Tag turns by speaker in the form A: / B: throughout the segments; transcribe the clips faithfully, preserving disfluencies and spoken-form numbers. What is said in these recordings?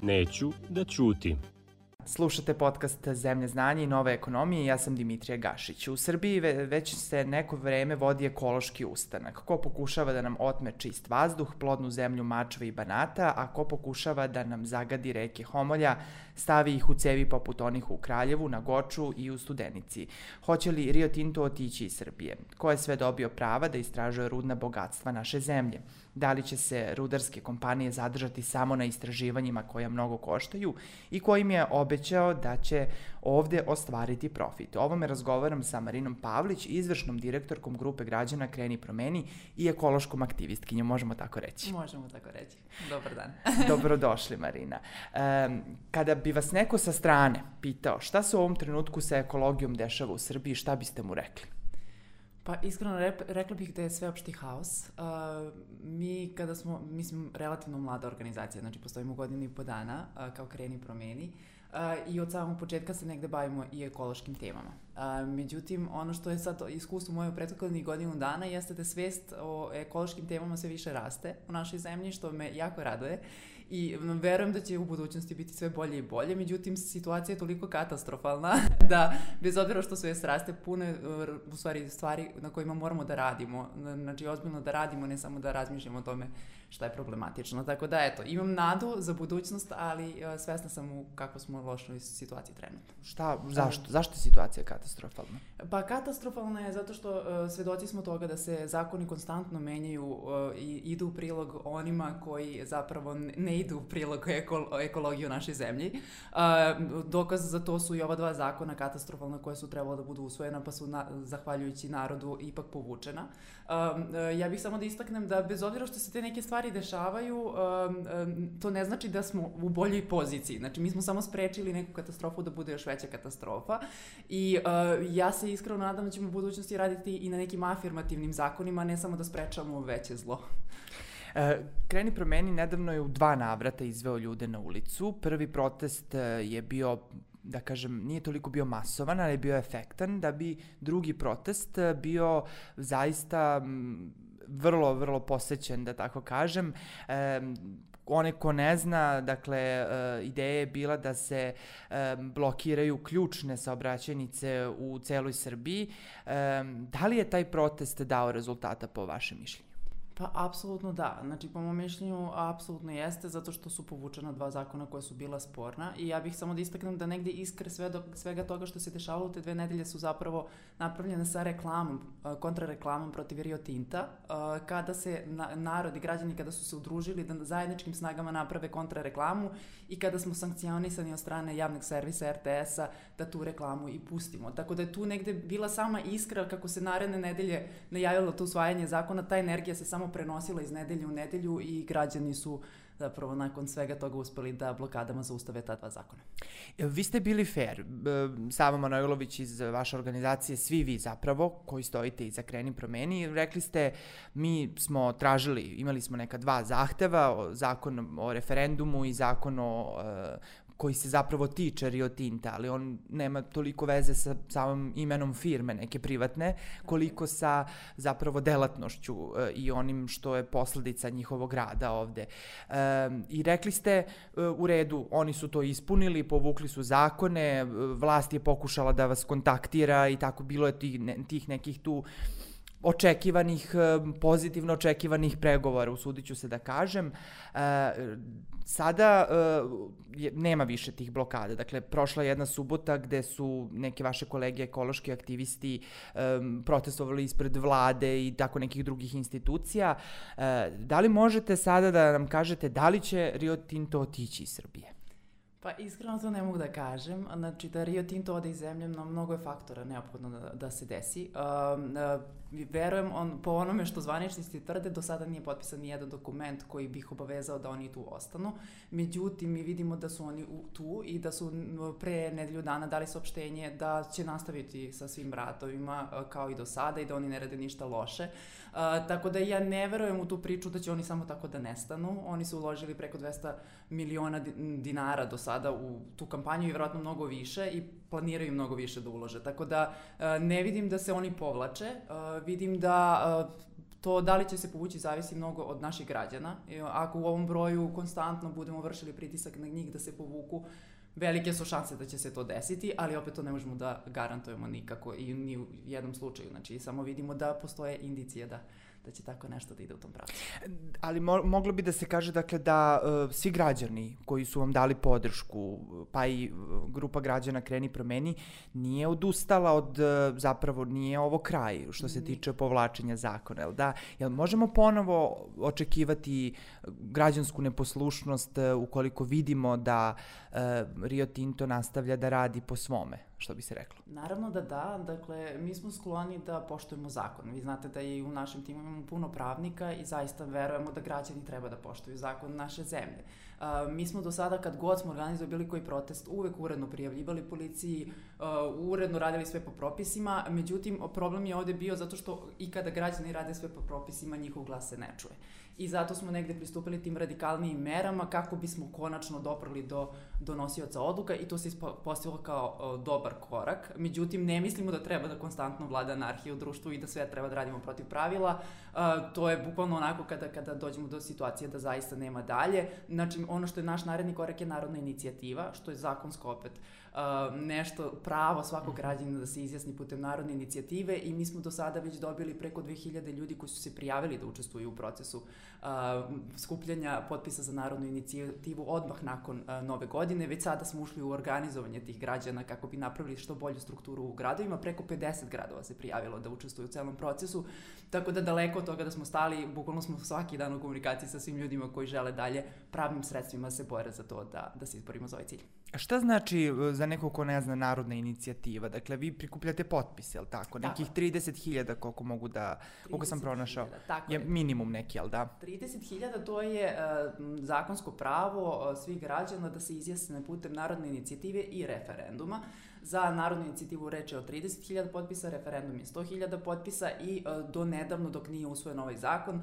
A: Neću da ćutim.
B: Slušate podcast Zemlje znanja i nove ekonomije i ja sam Dimitrija Gašić. U Srbiji već se neko vreme vodi ekološki ustanak. Ko pokušava da nam otme čist vazduh, plodnu zemlju Mačve i Banata, a ko pokušava da nam zagadi reke Homolja, stavi ih u cevi poput onih u Kraljevu, na Goču i u Studenici. Hoće li Rio Tinto otići iz Srbije? Ko je sve dobio prava da istražuje rudna bogatstva naše zemlje? Da li će se rudarske kompanije zadržati samo na istraživanjima koja mnogo koštaju i kojim je obećao da će ovde ostvariti profit? O ovome razgovaram sa Marinom Pavlić, izvršnom direktorkom grupe građana Kreni promeni i ekološkom aktivistkinjom, možemo tako reći.
C: Možemo tako reći. Dobar dan.
B: Dobrodošli, Marina. Um, kada bi vas neko sa strane pitao šta se u ovom trenutku sa ekologijom dešava u Srbiji, šta biste mu rekli?
C: Pa iskreno rep, rekla bih da je sveopšti haos. Uh, mi kada smo, mi smo relativno mlada organizacija, znači postojimo godinu i po dana uh, kao Kreni promeni uh, i od samog početka se negde bavimo i ekološkim temama. Uh, međutim, ono što je sad iskustvo moje u prethodnih godinu dana jeste da svest o ekološkim temama sve više raste u našoj zemlji, što me jako raduje. I verujem da će u budućnosti biti sve bolje i bolje, međutim situacija je toliko katastrofalna da bez obzira što sve raste pune u stvari stvari na kojima moramo da radimo, znači ozbiljno da radimo, ne samo da razmišljamo o tome šta je problematično. Tako da eto, imam nadu za budućnost, ali uh, svesna sam u kako smo lošoj situaciji trenutno.
B: Šta, zašto? Zašto je situacija katastrofalna?
C: Pa katastrofalna je zato što uh, svedoci smo toga da se zakoni konstantno menjaju uh, i idu u prilog onima koji zapravo ne idu u prilog eko, ekologiju u našoj zemlji. Uh, dokaz za to su i ova dva zakona katastrofalna koja su trebala da budu usvojena, pa su na, zahvaljujući narodu ipak povučena. Uh, uh, ja bih samo da istaknem da bez obzira što se te neke stvari dešavaju, um, um, to ne znači da smo u boljoj poziciji. Znači, mi smo samo sprečili neku katastrofu da bude još veća katastrofa i uh, ja se iskreno nadam da ćemo u budućnosti raditi i na nekim afirmativnim zakonima, ne samo da sprečavamo veće zlo.
B: Kreni promeni nedavno je u dva navrata izveo ljude na ulicu. Prvi protest je bio, da kažem, nije toliko bio masovan, ali je bio efektan, da bi drugi protest bio zaista vrlo, vrlo posećen, da tako kažem. E, one ko ne zna, dakle, e, ideja je bila da se e, blokiraju ključne saobraćajnice u celoj Srbiji. E, da li je taj protest dao rezultata po vašem mišljenju?
C: Pa, apsolutno da. Znači, po mom mišljenju, apsolutno jeste, zato što su povučena dva zakona koja su bila sporna i ja bih samo da istaknem da negde iskre sve do, svega toga što se dešavalo u te dve nedelje su zapravo napravljene sa reklamom, kontrareklamom protiv Rio Tinta, kada se na, narod i građani kada su se udružili da zajedničkim snagama naprave kontrareklamu i kada smo sankcionisani od strane javnog servisa er te es-a da tu reklamu i pustimo. Tako da je tu negde bila sama iskra kako se naredne nedelje najavilo to usvajanje zakona, ta energija se samo prenosila iz nedelje u nedelju i građani su zapravo nakon svega toga uspeli da blokadama zaustave ta dva zakona.
B: Vi ste bili fair. Sava Manojlović iz vaše organizacije, svi vi zapravo, koji stojite iza Kreni promeni, rekli ste, mi smo tražili, imali smo neka dva zahteva, zakon o referendumu i zakon o koji se zapravo tiče Rio Tinta, ali on nema toliko veze sa samim imenom firme neke privatne, koliko sa zapravo delatnošću e, i onim što je posledica njihovog rada ovde. E, I rekli ste, e, u redu, oni su to ispunili, povukli su zakone, vlast je pokušala da vas kontaktira i tako bilo je tih, ne, tih nekih tu očekivanih, pozitivno očekivanih pregovora, usudit ću se da kažem. E, sada e, nema više tih blokada. Dakle, prošla je jedna subota gde su neke vaše kolege ekološki aktivisti e, protestovali ispred vlade i tako nekih drugih institucija. E, da li možete sada da nam kažete da li će Rio Tinto otići iz Srbije?
C: Pa iskreno to ne mogu da kažem. Znači da Rio Tinto ode iz zemlje, no, mnogo je faktora neophodno da, da se desi. Uh, uh, verujem, on, po onome što zvaničnici tvrde, do sada nije potpisan ni jedan dokument koji bi ih obavezao da oni tu ostanu. Međutim, mi vidimo da su oni u, tu i da su pre nedelju dana dali saopštenje da će nastaviti sa svim ratovima uh, kao i do sada i da oni ne rade ništa loše. Uh, tako da ja ne verujem u tu priču da će oni samo tako da nestanu. Oni su uložili preko dvesta miliona dinara do sada u tu kampanju i vjerojatno mnogo više i planiraju mnogo više da ulože. Tako da uh, ne vidim da se oni povlače. Uh, vidim da uh, To da li će se povući zavisi mnogo od naših građana. Ako u ovom broju konstantno budemo vršili pritisak na njih da se povuku, velike su šanse da će se to desiti, ali opet to ne možemo da garantujemo nikako i ni u jednom slučaju. Znači, samo vidimo da postoje indicije da da će tako nešto da ide u tom pravcu.
B: Ali mo- moglo bi da se kaže dakle da uh, svi građani koji su vam dali podršku, pa i uh, grupa građana Kreni promeni, nije odustala od, uh, zapravo nije ovo kraj što se tiče povlačenja zakona, jel da? Jel možemo ponovo očekivati građansku neposlušnost uh, ukoliko vidimo da uh, Rio Tinto nastavlja da radi po svome, što bi se reklo?
C: Naravno da da, dakle, mi smo skloni da poštujemo zakon. Vi znate da i u našem timu imamo puno pravnika i zaista verujemo da građani treba da poštuju zakon naše zemlje. Uh, mi smo do sada, kad god smo organizovali bilo koji protest, uvek uredno prijavljivali policiji, uh, uredno radili sve po propisima, međutim, problem je ovde bio zato što i kada građani rade sve po propisima, njihov glas se ne čuje. I zato smo negde pristupili tim radikalnijim merama kako bismo konačno doprli do donosioca odluka i to se ispostavilo kao o, dobar korak. Međutim, ne mislimo da treba da konstantno vlada anarhija u društvu i da sve treba da radimo protiv pravila. A, to je bukvalno onako kada, kada dođemo do situacije da zaista nema dalje. Znači, ono što je naš naredni korak je narodna inicijativa, što je zakonsko opet a, nešto pravo svakog građanina da se izjasni putem narodne inicijative i mi smo do sada već dobili preko dve hiljade ljudi koji su se prijavili da učestvuju u procesu Uh, skupljanja potpisa za narodnu inicijativu odmah nakon uh, nove godine. Već sada smo ušli u organizovanje tih građana kako bi napravili što bolju strukturu u gradovima. Preko pedeset gradova se prijavilo da učestvuju u celom procesu, tako da daleko od toga da smo stali, bukvalno smo svaki dan u komunikaciji sa svim ljudima koji žele dalje pravnim sredstvima se bore za to da, da se izborimo za ovaj cilj.
B: A šta znači za nekog ko ne zna narodna inicijativa? Dakle, vi prikupljate potpise, jel tako? Nekih trideset hiljada koliko mogu da, koliko sam pronašao, je minimum neki, jel da?
C: trideset hiljada to je uh, zakonsko pravo uh, svih građana da se izjasne putem narodne inicijative i referenduma. Za narodnu inicijativu reč je o trideset hiljada potpisa, referendum je sto hiljada potpisa i uh, do nedavno, dok nije usvojen ovaj zakon, uh,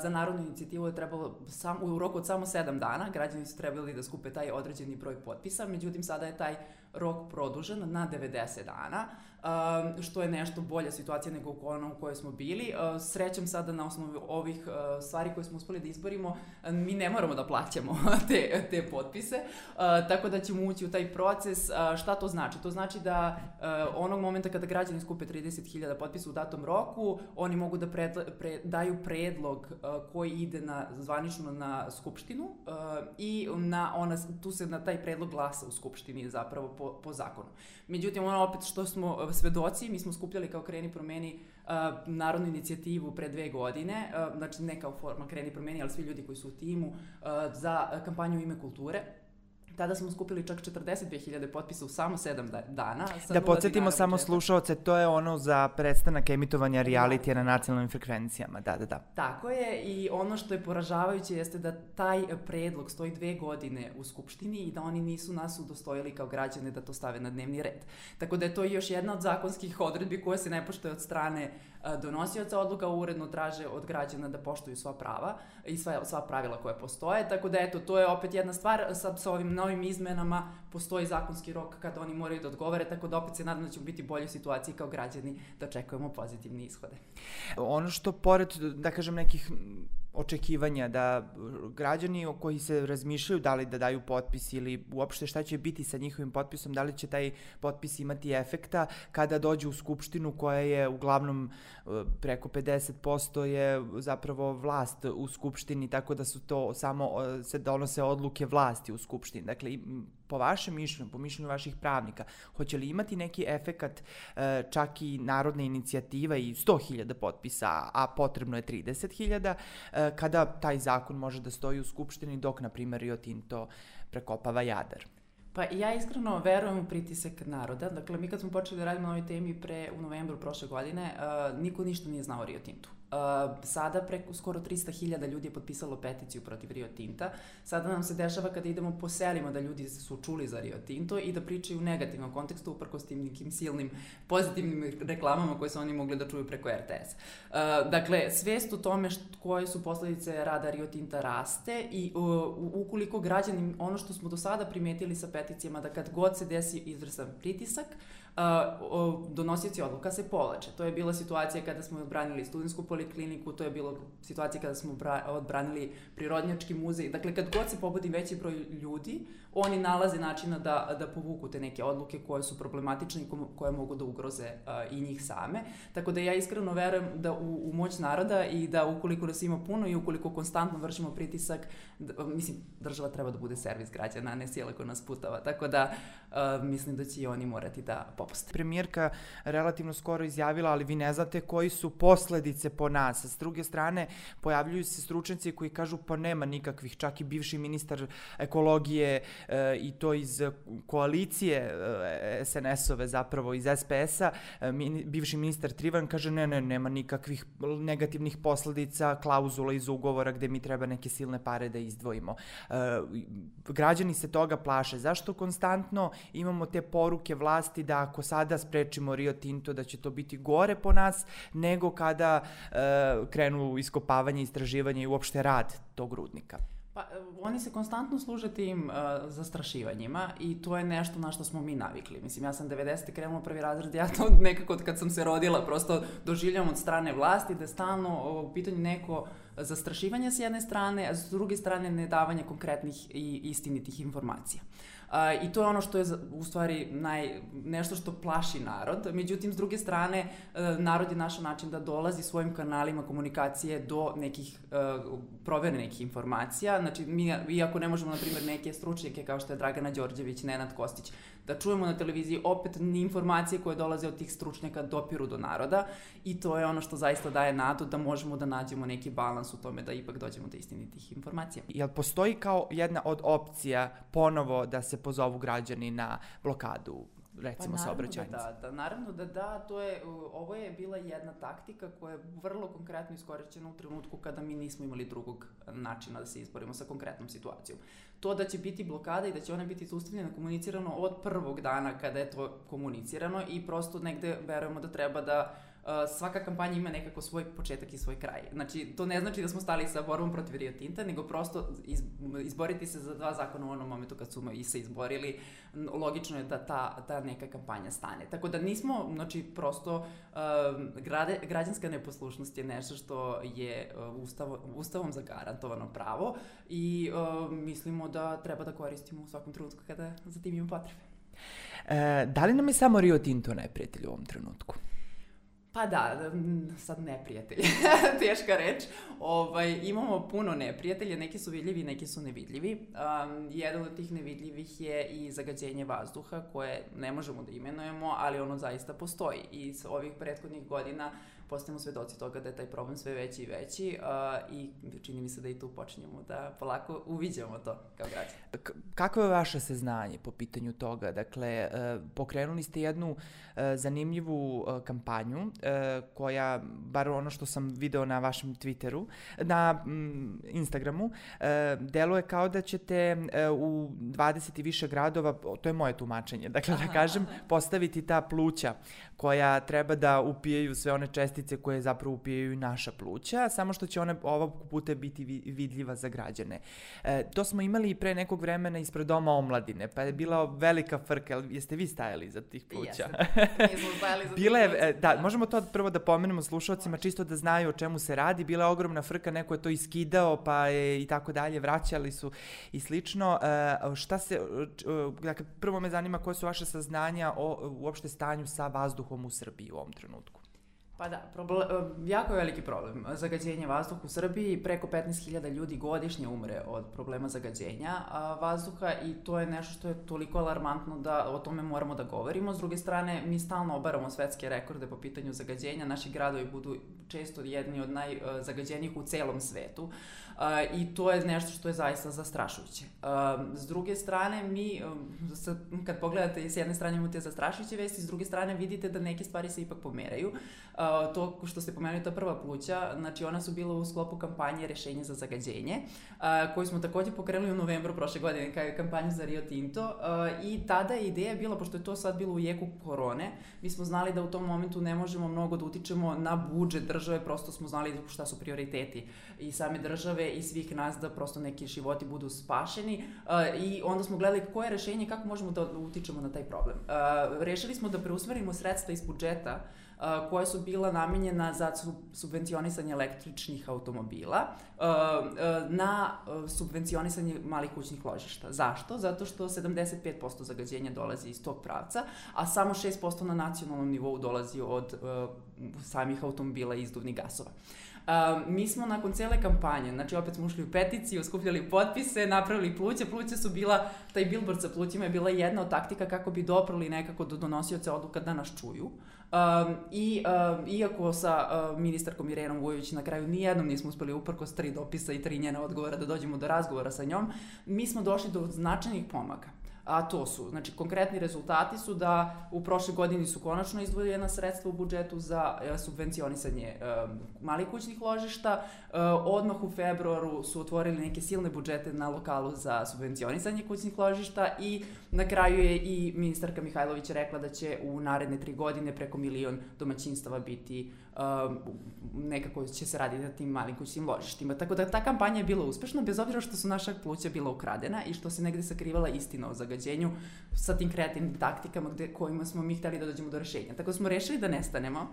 C: za narodnu inicijativu je trebalo sam, u roku od samo sedam dana, građani su trebali da skupe taj određeni broj potpisa, međutim sada je taj rok produžen na devedeset dana, uh, što je nešto bolja situacija nego ona u kojoj smo bili. Uh, srećem sada na osnovu ovih uh, stvari koje smo uspeli da izborimo, uh, mi ne moramo da plaćamo te, te potpise, uh, tako da ćemo ući u taj proces. Uh, šta to znači? To znači da uh, onog momenta kada građani skupe trideset hiljada potpisa u datom roku, oni mogu da predla, pre, daju predlog uh, koji ide na, zvanično na Skupštinu uh, i na ona, tu se na taj predlog glasa u Skupštini zapravo po, po zakonu. Međutim, ono opet što smo svedoci, mi smo skupljali kao Kreni promeni uh, narodnu inicijativu pre dve godine, uh, znači ne kao forma Kreni promeni, ali svi ljudi koji su u timu, uh, za kampanju u ime kulture. Tada smo skupili čak četrdeset dve hiljade potpisa u samo sedam dana.
B: Da podsjetimo samo slušaoce, to je ono za prestanak emitovanja realitija na nacionalnim frekvencijama, da, da, da.
C: Tako je, i ono što je poražavajuće jeste da taj predlog stoji dve godine u Skupštini i da oni nisu nas udostojili kao građane da to stave na dnevni red. Tako da je to još jedna od zakonskih odredbi koja se ne poštuje od strane donosioca odluka, uredno traže od građana da poštuju sva prava i sva, sva pravila koje postoje, tako da eto, to je opet jedna stvar. Sad sa ovim novim izmenama postoji zakonski rok kada oni moraju da odgovore, tako da opet se nadam da ćemo biti u boljoj situaciji kao građani da očekujemo pozitivne ishode.
B: Ono što pored, da kažem, nekih očekivanja da građani koji se razmišljaju da li da daju potpis ili uopšte šta će biti sa njihovim potpisom, da li će taj potpis imati efekta kada dođe u Skupštinu koja je uglavnom preko pedeset posto je zapravo vlast u Skupštini, tako da su to samo se donose odluke vlasti u Skupštini. Dakle, po vašem mišljenju, po mišljenju vaših pravnika, hoće li imati neki efekat čak i narodna inicijativa i sto hiljada potpisa, a potrebno je trideset hiljada, kada taj zakon može da stoji u Skupštini dok, na primjer, Rio Tinto prekopava Jadar?
C: Pa ja iskreno verujem u pritisak naroda. Dakle, mi kad smo počeli da radimo na ovoj temi pre, u novembru prošle godine, uh, niko ništa nije znao o Rio Tintu. Uh, sada preko skoro trista hiljada ljudi je potpisalo peticiju protiv Rio Tinta. Sada nam se dešava kada idemo po selima da ljudi su čuli za Rio Tinto i da pričaju u negativnom kontekstu uprkos tim nekim silnim pozitivnim reklamama koje su oni mogli da čuju preko er te es. Uh, dakle, svest o tome št, koje su posledice rada Rio Tinta raste i uh, ukoliko građani, ono što smo do sada primetili sa peticijama, da kad god se desi izvrsan pritisak, donosioci odluka se povlače. To je bila situacija kada smo odbranili studentsku polikliniku, to je bila situacija kada smo odbranili Prirodnjački muzej. Dakle, kad god se pobudi veći broj ljudi, oni nalaze načina da, da povuku te neke odluke koje su problematične i koje mogu da ugroze uh, i njih same. Tako da ja iskreno verujem da u, u moć naroda i da ukoliko nas ima puno i ukoliko konstantno vršimo pritisak, da, mislim, država treba da bude servis građana, a ne sila koja nas putava. Tako da uh, mislim da će i oni morati da popuste.
B: Premijerka relativno skoro izjavila, ali vi ne znate koji su posledice po nas. S druge strane, pojavljuju se stručnjaci koji kažu pa nema nikakvih, čak i bivši ministar ekologije e, i to iz koalicije e, es en es-ove, zapravo iz es pe es-a, e, min, bivši ministar Trivan kaže ne, ne, nema nikakvih negativnih posledica, klauzula iz ugovora gde mi treba neke silne pare da izdvojimo. E, građani se toga plaše. Zašto konstantno imamo te poruke vlasti da ako sada sprečimo Rio Tinto da će to biti gore po nas nego kada e, krenu iskopavanje, istraživanje i uopšte rad tog rudnika?
C: Pa, oni se konstantno služe tim uh, zastrašivanjima i to je nešto na što smo mi navikli. Mislim, ja sam devedesete krenula prvi razred, ja to nekako kad sam se rodila prosto doživljam od strane vlasti da je stalno u pitanju neko zastrašivanje s jedne strane, a s druge strane nedavanje konkretnih i istinitih informacija. Uh, I to je ono što je u stvari naj, nešto što plaši narod. Međutim, s druge strane, uh, narod je našao način da dolazi svojim kanalima komunikacije do nekih uh, proverenih nekih informacija. Znači, mi, iako ne možemo, na primjer, neke stručnjake kao što je Dragana Đorđević, Nenad Kostić, da čujemo na televiziji, opet informacije koje dolaze od tih stručnjaka dopiru do naroda i to je ono što zaista daje nadu da možemo da nađemo neki balans u tome da ipak dođemo do istinitih informacija.
B: Jel postoji kao jedna od opcija ponovo da se pozovu građani na blokadu, recimo,
C: pa
B: saobraćajnice?
C: Da, da, naravno da da, to je, ovo je bila jedna taktika koja je vrlo konkretno iskorišćena u trenutku kada mi nismo imali drugog načina da se izborimo sa konkretnom situacijom. To da će biti blokada i da će ona biti zaustavljena, komunicirano od prvog dana kada je to komunicirano i prosto negde verujemo da treba da Uh, svaka kampanja ima nekako svoj početak i svoj kraj. Znači, to ne znači da smo stali sa borbom protiv Rio Tinta, nego prosto iz, izboriti se za dva zakona u onom momentu kad su i se izborili, logično je da ta, ta neka kampanja stane. Tako da nismo, znači, prosto uh, grade, građanska neposlušnost je nešto što je uh, ustavo, ustavom zagarantovano pravo i uh, mislimo da treba da koristimo u svakom trenutku kada za tim ima potrebe.
B: E, da li nam je samo Rio Tinto neprijatelj u ovom trenutku?
C: Pa da, sad neprijatelji, teška reč. Ovaj, imamo puno neprijatelja, neki su vidljivi, neki su nevidljivi. Um, jedan od tih nevidljivih je i zagađenje vazduha, koje ne možemo da imenujemo, ali ono zaista postoji. I s ovih prethodnih godina postajemo svedoci toga da je taj problem sve veći i veći uh, i čini mi se da i tu počinjemo da polako uviđamo to kao građani.
B: K- kako je vaše saznanje po pitanju toga? Dakle, uh, pokrenuli ste jednu uh, zanimljivu uh, kampanju uh, koja, bar ono što sam video na vašem Twitteru, na mm, Instagramu, uh, deluje kao da ćete uh, u dvadeset i više gradova, to je moje tumačenje, dakle da kažem, postaviti ta pluća koja treba da upijaju sve one čestice koje zapravo upijaju i naša pluća, samo što će ona ovog puta biti vidljiva za građane. E, to smo imali i pre nekog vremena ispred Doma omladine, pa je bila velika frka. Jeste vi stajali iza tih pluća?
C: Jesam, mi smo stajali za tih pluća.
B: Da, da, možemo to prvo da pomenemo slušalcima, čisto da znaju o čemu se radi. Bila je ogromna frka, neko je to iskidao, pa je i tako dalje, vraćali su i slično. E, šta se, dakle, prvo me zanima koje su vaše saznanja o uopšte stanju sa vazduhom u Srbiji u ovom trenutku?
C: Pa da, problem, jako je veliki problem. Zagađenje vazduha u Srbiji, preko petnaest hiljada ljudi godišnje umre od problema zagađenja vazduha i to je nešto što je toliko alarmantno da o tome moramo da govorimo. S druge strane, mi stalno obaramo svetske rekorde po pitanju zagađenja, naši gradovi budu često jedni od najzagađenijih u celom svetu uh, i to je nešto što je zaista zastrašujuće. Uh, s druge strane, mi, uh, kad pogledate s jedne strane imate zastrašujuće vesti, s druge strane vidite da neke stvari se ipak pomeraju. Uh, uh, to što ste pomenuli, ta prva pluća, znači ona su bila u sklopu kampanje Rešenje za zagađenje, uh, koju smo takođe pokrenuli u novembru prošle godine, kao je kampanju za Rio Tinto, uh, i tada je ideja bila, pošto je to sad bilo u jeku korone, mi smo znali da u tom momentu ne možemo mnogo da utičemo na budžet države, prosto smo znali šta su prioriteti i same države i svih nas da prosto neki životi budu spašeni, uh, i onda smo gledali koje je rešenje, kako možemo da utičemo na taj problem. Uh, rešili smo da preusmerimo sredstva iz budžeta uh, koja su bila namenjena za subvencionisanje električnih automobila uh, uh, na uh, subvencionisanje malih kućnih ložišta. Zašto? Zato što sedamdeset pet posto zagađenja dolazi iz tog pravca, a samo šest posto na nacionalnom nivou dolazi od uh, samih automobila i izduvnih gasova. Uh, mi smo nakon cele kampanje, znači opet smo ušli u peticiju, skupljali potpise, napravili pluće. Pluće su bila, taj billboard sa plućima je bila jedna od taktika kako bi doprali nekako do donosioca odluka da nas čuju. Um, I um, iako sa uh, ministarkom Irenom Vujović na kraju nijednom nismo uspeli uprkos tri dopisa i tri njena odgovora da dođemo do razgovora sa njom, mi smo došli do značajnih pomaka. A to su, znači konkretni rezultati su da u prošle godini su konačno izdvojena sredstva u budžetu za e, subvencionisanje e, malih kućnih ložišta, e, odmah u februaru su otvorili neke silne budžete na lokalu za subvencionisanje kućnih ložišta i na kraju je i ministarka Mihajlović rekla da će u naredne tri godine preko milion domaćinstava biti Um, nekako će se raditi na tim malim kućnim ložištima. Tako da ta kampanja je bila uspešna, bez obzira što su naša pluća bila ukradena i što se negde sakrivala istina o zagađenju sa tim kreativnim taktikama gde, kojima smo mi hteli da dođemo do rešenja. Tako smo rešili da nestanemo.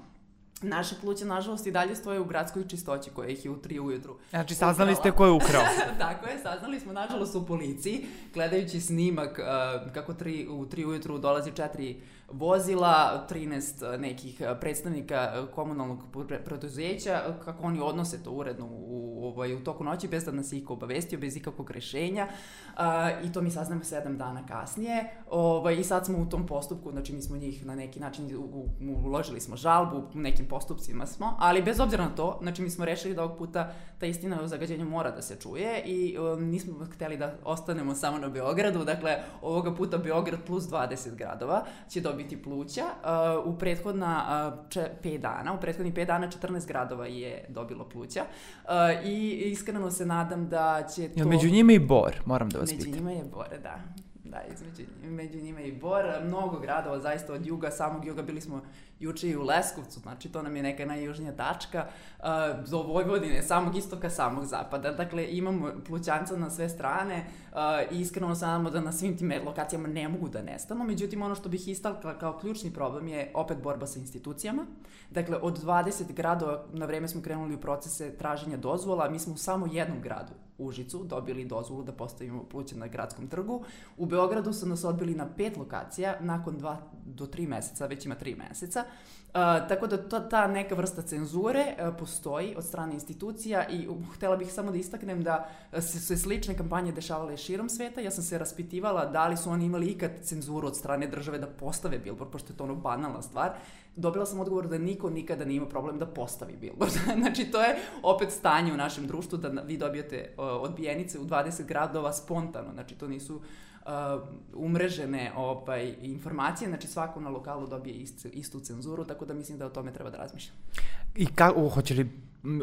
C: Naše pluće, nažalost, i dalje stoje u gradskoj čistoći koja ih je u tri ujutru.
B: Znači, saznali ste ko je ukrao.
C: Tako je, saznali smo, nažalost, u policiji, gledajući snimak uh, kako tri, u tri ujutru dolazi četiri vozila, trinaest nekih predstavnika komunalnog preduzeća, kako oni odnose to uredno u, u, u toku noći, bez da nas iko obavestio, bez ikakvog rešenja. Uh, I to mi saznamo sedam dana kasnije. Ovaj, I sad smo u tom postupku, znači mi smo njih na neki način, u, uložili smo žalbu, u nekim postupcima smo, ali bez obzira na to, znači mi smo rešili da ovog puta ta istina o zagađenju mora da se čuje i um, nismo hteli da ostanemo samo na Beogradu, dakle ovoga puta Beograd plus dvadeset gradova će dobiti pluća. Uh, u prethodna uh, če, pet dana, u prethodnih pet dana četrnaest gradova je dobilo pluća uh, i iskreno se nadam da će to...
B: Ja, među njima i Bor, moram da vas pitam.
C: Među njima je Bor, da. Da, između, među njima i Bor, mnogo gradova, zaista od juga, samog juga, bili smo juče i u Leskovcu, znači to nam je neka najjužnija tačka, uh, do Vojvodine, samog istoka, samog zapada, dakle imamo plućanca na sve strane uh, i iskreno se nadamo da na svim tim lokacijama ne mogu da nestanu, međutim ono što bih istakla kao ključni problem je opet borba sa institucijama, dakle od dvadeset gradova na vreme smo krenuli u procese traženja dozvola, mi smo u samo jednom gradu, Užicu, dobili dozvolu da postavimo pluće na gradskom trgu. U Beogradu su nas odbili na pet lokacija, nakon dva do tri meseca, već ima tri meseca. Uh, tako da to, ta neka vrsta cenzure uh, postoji od strane institucija i uh, htela bih samo da istaknem da se, se slične kampanje dešavale širom sveta. Ja sam se raspitivala da li su oni imali ikad cenzuru od strane države da postave billboard, pošto je to ono banalna stvar. Dobila sam odgovor da niko nikada nije imao problem da postavi billboard. Znači, to je opet stanje u našem društvu da vi dobijete uh, odbijenice u dvadeset gradova spontano. Znači, to nisu uh, umrežene ovaj, informacije. Znači, svako na lokalu dobije istu, istu cenzuru, tako da mislim da o tome treba da razmišljam.
B: I kako, hoće li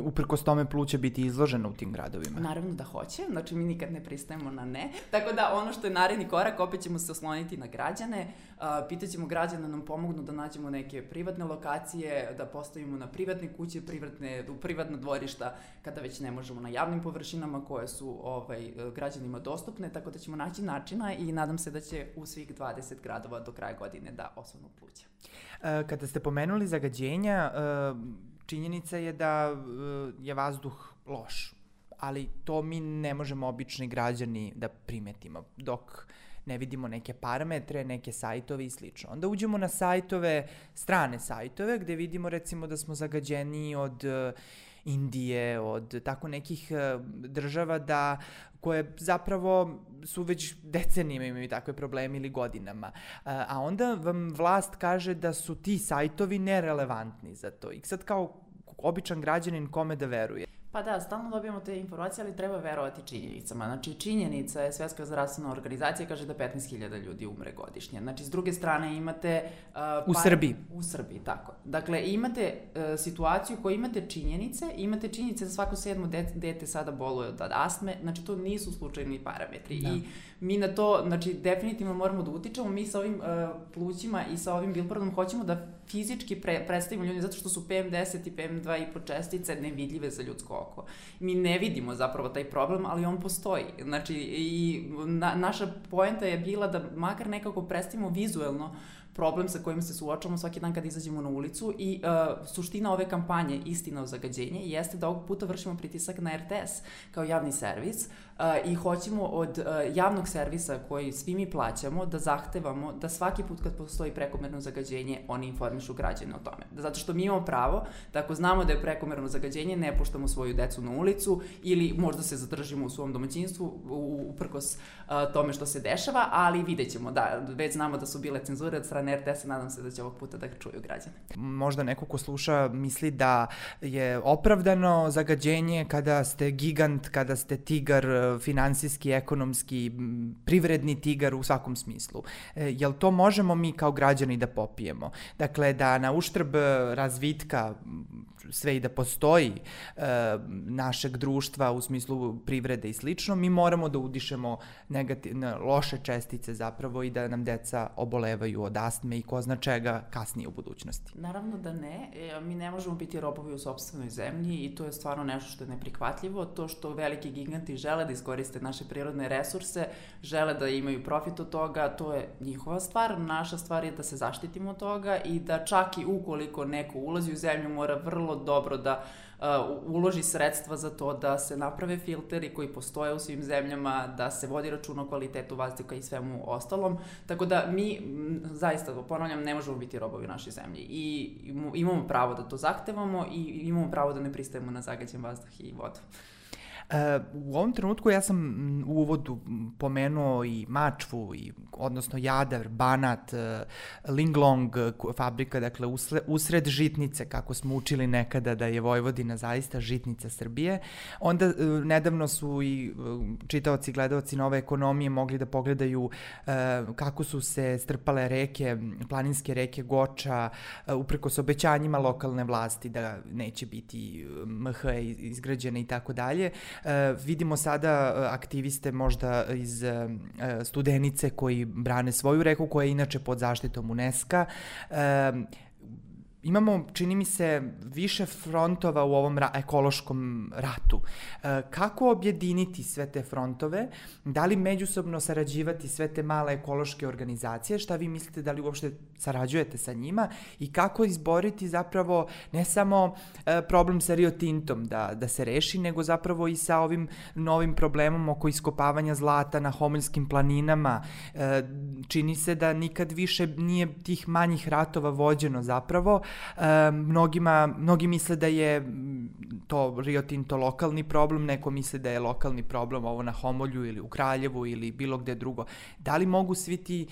B: uprkos tome pluće biti izloženo u tim gradovima?
C: Naravno da hoće, znači mi nikad ne pristajemo na ne. Tako da ono što je naredni korak, opet ćemo se osloniti na građane, uh, pitaćemo građane da nam pomognu da nađemo neke privatne lokacije, da postavimo na privatne kuće, privatne, u privatna dvorišta, kada već ne možemo na javnim površinama koje su ovaj, građanima dostupne, tako da ćemo naći načina i nadam se da će u svih dvadeset gradova do kraja godine da osvanu pluća.
B: Uh, kada ste pomenuli zagađenja, uh, činjenica je da uh, je vazduh loš, ali to mi ne možemo obični građani da primetimo dok ne vidimo neke parametre, neke sajtove i slično. Onda uđemo na sajtove, strane sajtove, gde vidimo recimo da smo zagađeni od uh, Indije, od tako nekih uh, država da koje zapravo su već decenijima imaju takve probleme ili godinama. A, a onda vam vlast kaže da su ti sajtovi nerelevantni za to. I sad kao običan građanin kome da veruje?
C: Pa da, stalno dobijamo te informacije, ali treba verovati činjenicama. Znači, činjenica je, Svetska zdravstvena organizacija kaže da petnaest hiljada ljudi umre godišnje. Znači, s druge strane imate... Uh,
B: u
C: par...
B: Srbiji.
C: U Srbiji, tako. Dakle, imate uh, situaciju koju imate činjenice, imate činjenice da svako sedmo dete, dete sada boluje od astme, znači to nisu slučajni parametri. Da. I mi na to, znači, definitivno moramo da utičemo. Mi sa ovim uh, plućima i sa ovim billboardom hoćemo da fizički pre, predstavimo ljudi, zato što su P M deset i P M dva i po čestice nevidljive za ljudsko oko. Mi ne vidimo zapravo taj problem, ali on postoji. Znači, i na, naša poenta je bila da makar nekako predstavimo vizuelno problem sa kojim se suočavamo svaki dan kad izađemo na ulicu i uh, suština ove kampanje Istina o zagađenje jeste da ovog puta vršimo pritisak na R T S kao javni servis uh, i hoćemo od uh, javnog servisa koji svi mi plaćamo da zahtevamo da svaki put kad postoji prekomerno zagađenje oni informišu građane o tome. Zato što mi imamo pravo da ako znamo da je prekomerno zagađenje ne puštamo svoju decu na ulicu ili možda se zadržimo u svom domaćinstvu uprkos uh, tome što se dešava, ali vidjet ćemo da već znamo da su bile cenzure od strane R T S-a, nadam se da će ovog puta da čuju građane.
B: Možda neko ko sluša misli da je opravdano zagađenje kada ste gigant, kada ste tigar, finansijski, ekonomski, privredni tigar u svakom smislu. E, jel to možemo mi kao građani da popijemo? Dakle, da na uštrb razvitka sve i da postoji e, našeg društva u smislu privrede i slično, mi moramo da udišemo negativne, loše čestice zapravo i da nam deca obolevaju od astme i ko zna čega kasnije u budućnosti.
C: Naravno da ne. E, mi ne možemo biti robovi u sopstvenoj zemlji i to je stvarno nešto što je neprihvatljivo. To što veliki giganti žele da iskoriste naše prirodne resurse, žele da imaju profit od toga, to je njihova stvar. Naša stvar je da se zaštitimo od toga i da čak i ukoliko neko ulazi u zemlju mora vrlo dobro da uh, uloži sredstva za to da se naprave filteri koji postoje u svim zemljama, da se vodi računa o kvalitetu vazduha i svemu ostalom. Tako da mi, m, zaista, ponavljam, ne možemo biti robovi naše zemlje i imamo pravo da to zahtevamo i imamo pravo da ne pristajemo na zagađen vazduh i vodu.
B: Uh, u ovom trenutku ja sam u uvodu pomenuo i Mačvu, i, odnosno Jadar, Banat, uh, Linglong fabrika, dakle usle, usred žitnice, kako smo učili nekada da je Vojvodina zaista žitnica Srbije. Onda uh, nedavno su i uh, čitaoci i gledaoci Nove ekonomije mogli da pogledaju uh, kako su se strpale reke, planinske reke Goča, uh, uprkos obećanjima lokalne vlasti da neće biti M H izgrađene i tako dalje. Uh, vidimo sada uh, aktiviste možda iz uh, Studenice koji brane svoju reku koja je inače pod zaštitom UNESCO-a. Uh, Imamo, čini mi se, više frontova u ovom ra- ekološkom ratu. E, kako objediniti sve te frontove? Da li međusobno sarađivati sve te male ekološke organizacije? Šta vi mislite, da li uopšte sarađujete sa njima? I kako izboriti zapravo ne samo e, problem sa Rio Tintom da, da se reši, nego zapravo i sa ovim novim problemom oko iskopavanja zlata na Homoljskim planinama? E, čini se da nikad više nije tih manjih ratova vođeno zapravo. E, mnogima, mnogi misle da je to Rio Tinto lokalni problem, neko misle da je lokalni problem ovo na Homolju ili u Kraljevu ili bilo gde drugo. Da li mogu svi ti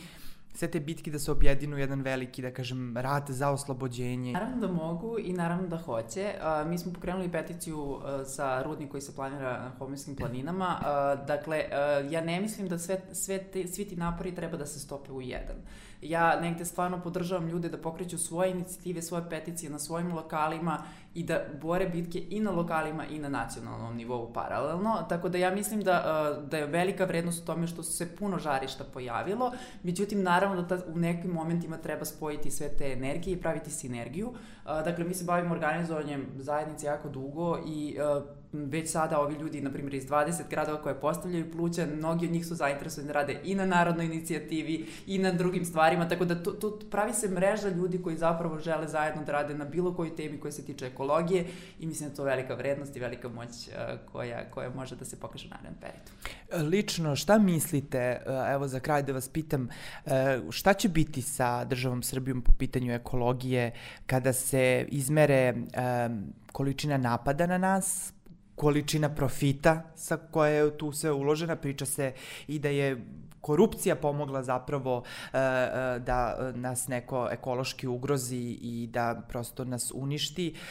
B: sve te bitke da se objedinu jedan veliki, da kažem, rat za oslobođenje?
C: Naravno da mogu i naravno da hoće. Uh, mi smo pokrenuli peticiju uh, za rudnik koji se planira na Homoljskim planinama. Uh, dakle, uh, ja ne mislim da sve, sve te, svi ti napori treba da se stope u jedan. Ja negde stvarno podržavam ljude da pokreću svoje inicijative, svoje peticije na svojim lokalima i da bore bitke i na lokalima i na nacionalnom nivou paralelno. Tako da ja mislim da, da je velika vrednost u tome što se puno žarišta pojavilo. Međutim, naravno da ta, u nekim momentima treba spojiti sve te energije i praviti sinergiju. Dakle, mi se bavimo organizovanjem zajednice jako dugo i već sada ovi ljudi, na primjer, iz dvadeset gradova koje postavljaju pluća, mnogi od njih su zainteresovani da rade i na narodnoj inicijativi i na drugim stvarima, tako da tu, tu pravi se mreža ljudi koji zapravo žele zajedno da rade na bilo kojoj temi koja se tiče ekologije i mislim da je to velika vrednost i velika moć uh, koja, koja može da se pokaže u narednom periodu.
B: Lično, šta mislite, evo za kraj da vas pitam, šta će biti sa državom Srbijom po pitanju ekologije kada se izmere um, količina napada na nas, količina profita sa koja je tu sve uložena, priča se i da je korupcija pomogla zapravo uh, uh, da nas neko ekološki ugrozi i da prosto nas uništi, uh,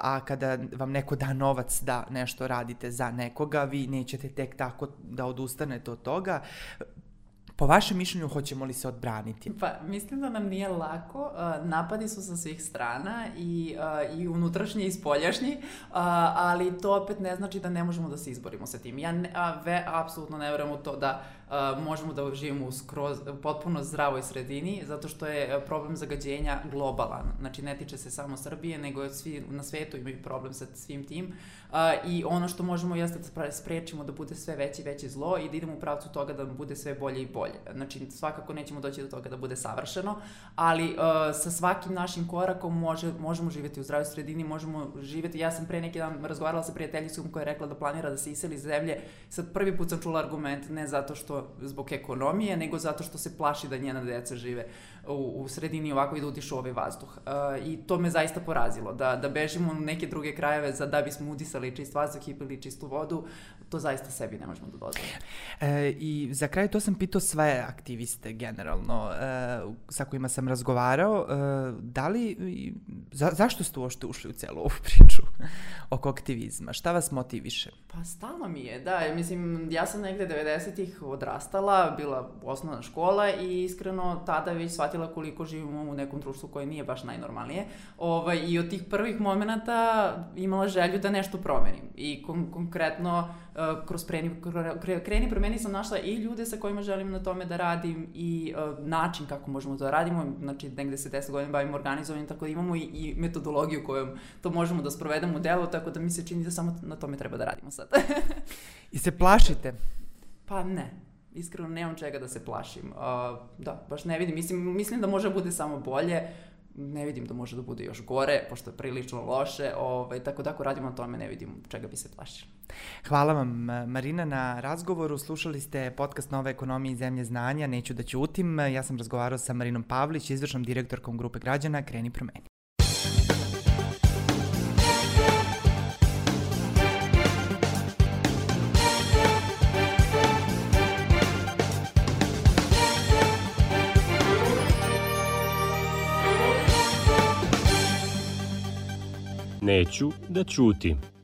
B: a kada vam neko da novac da nešto radite za nekoga, vi nećete tek tako da odustanete od toga. Po vašem mišljenju, hoćemo li se odbraniti?
C: Pa, mislim da nam nije lako. Uh, napadi su sa svih strana i, uh, i unutrašnji i spoljašnji, uh, ali to opet ne znači da ne možemo da se izborimo sa tim. Ja ne, a, ve, apsolutno ne verujem u to da uh, možemo da živimo u skroz, potpuno zdravoj sredini, zato što je problem zagađenja globalan. Znači, ne tiče se samo Srbije, nego svi na svetu imaju problem sa svim tim. Uh, I ono što možemo jeste da sprečimo da bude sve veće i veće zlo i da idemo u pravcu toga da bude sve bolje i bolje. Znači, svakako nećemo doći do toga da bude savršeno, ali uh, sa svakim našim korakom može, možemo živjeti u zdravoj sredini, možemo živjeti. Ja sam pre neki dan razgovarala sa prijateljicom koja je rekla da planira da se iseli iz zemlje. Sad prvi put sam čula argument ne zato što zbog ekonomije, nego zato što se plaši da njena deca žive u, u sredini ovako i da udišu ovaj vazduh. Uh, I to me zaista porazilo, da, da bežimo u neke druge krajeve za da bismo udisali čist vazduh i pili čistu vodu, to zaista sebi ne možemo da dozvolimo.
B: E, I za kraj to sam pitao sve aktiviste generalno e, sa kojima sam razgovarao, e, da li, za, zašto ste uopšte ušli u celu ovu priču oko aktivizma? Šta vas motiviše?
C: Pa stalno mi je, da. Mislim, ja sam negde devedesetih odrastala, bila osnovna škola i iskreno tada već shvatila koliko živimo u nekom društvu koje nije baš najnormalnije. Ovaj, I od tih prvih momenata imala želju da nešto promenim. I kon- konkretno uh, kroz preni, kre, kreni promeni sam našla i ljude sa kojima želim na tome da radim i uh, način kako možemo to da radimo. Znači, negde se deset godina bavimo organizovanjem, tako da imamo i, i metodologiju kojom to možemo da sprovedemo u delu, tako da mi se čini da samo na tome treba da radimo sad.
B: I se plašite?
C: Pa ne. Iskreno nemam čega da se plašim. Uh, da, baš ne vidim. Mislim, mislim da može bude samo bolje. Ne vidim da može da bude još gore, pošto je prilično loše. Ovaj, tako da ako radimo na tome, ne vidim čega bi se plašili.
B: Hvala vam, Marina, na razgovoru. Slušali ste podcast Nove ekonomije i zemlje znanja. Neću da ćutim. Ja sam razgovarao sa Marinom Pavlić, izvršnom direktorkom grupe građana Kreni promeni.
A: Neću da ćutim.